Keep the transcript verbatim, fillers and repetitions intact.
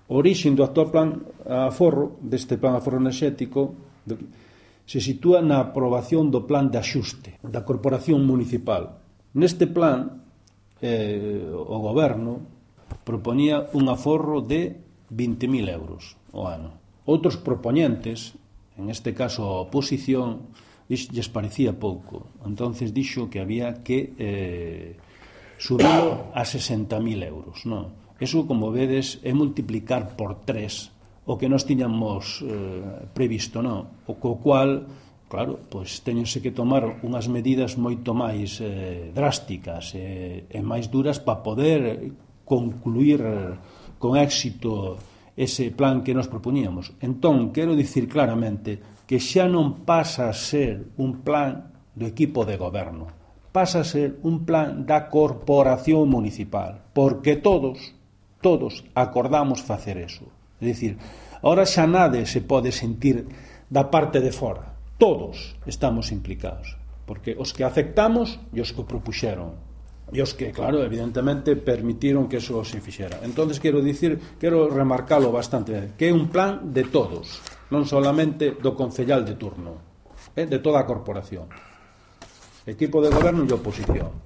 O orixe do actual plan aforro, deste plan aforro enerxético, se sitúa na aprobación do plan de axuste da Corporación Municipal. Neste plan, eh, o goberno proponía un aforro de vinte mil euros ao ano. Outros propoñentes, en este caso a oposición, lles parecía pouco. Entonces dixo que había que eh, subilo a sesenta mil euros, non? Eso, como vedes, é multiplicar por tres o que nós tiñamos eh, previsto, non? O co cual, claro, pois teñense que tomar unhas medidas moito máis eh, drásticas e, e máis duras para poder concluir con éxito ese plan que nos proponíamos. Entón, quero dicir claramente que xa non pasa a ser un plan do equipo de goberno, pasa a ser un plan da corporación municipal, porque todos todos acordamos facer eso. É dicir, ahora xa nade se pode sentir da parte de fora. Todos estamos implicados, porque os que aceptamos e os que propuxeron, e os que, claro, evidentemente permitiron que eso se fixera. Entonces quero dicir, quero remarcalo bastante, que é un plan de todos, non solamente do concellal de turno, é de toda a corporación, equipo de goberno e oposición.